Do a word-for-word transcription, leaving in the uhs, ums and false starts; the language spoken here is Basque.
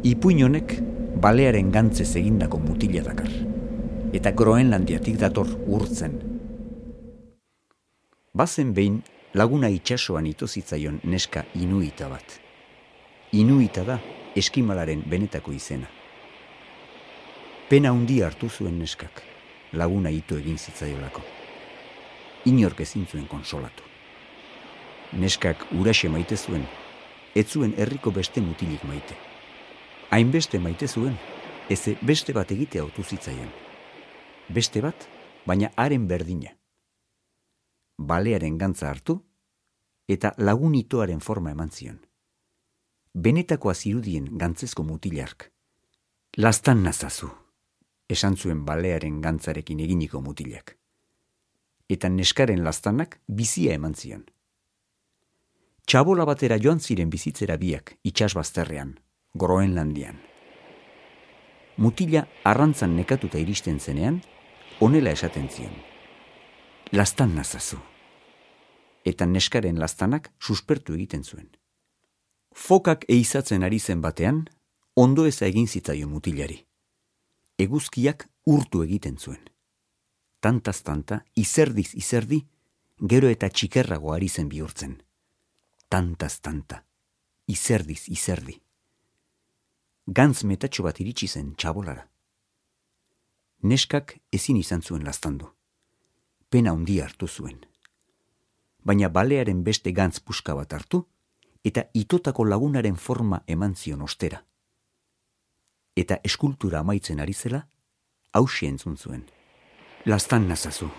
Ipuin honek balearen gantzez egindako mutila dakar, eta Groenlandiatik dator urtzen. Bazen behin laguna itsasoan ito zitzaion neska inuita bat. Inuita da eskimalaren benetako izena. Pena handia hartu zuen neskak, laguna ito egin zitzaiolako. Inork ezin zuen konsolatu. Neskak huraxe maite zuen, ez zuen herriko beste mutilik maite. Hainbeste maite zuen, eze beste bat egitea autu zitzaion. Beste bat, baina haren berdina. Balearen gantza hartu, eta lagunitoaren forma eman zion. Benetakoa zirudien gantzezko mutilark. Lastan nazazu, esan zuen balearen gantzarekin eginiko mutilak. Eta neskaren lastanak bizia eman zion. Txabola batera joan ziren bizitzera biak itsasbazterrean, Groenlandian. Mutila arrantzan nekatuta iristen zenean, honela esaten zion. Lastan nazazu. Eta neskaren lastanak suspertu egiten zuen. Fokak eizatzen ari zen batean, ondo eza egin zitzaio mutilari. Eguzkiak urtu egiten zuen. Tantaz-tanta, izerdiz izerdi, gero eta txikerrago ari zen bihurtzen. Tantaz-tanta, izerdiz izerdi. Gantz metatxo bat iritsi zen txabolara. Neskak ezin izan zuen lastandu. Pena handia hartu zuen. Baina balearen beste gantz puska bat hartu, eta itotako lagunaren forma eman zion ostera. Eta eskultura amaitzen ari zela, hauxe entzun zuen. Lastan nazazu.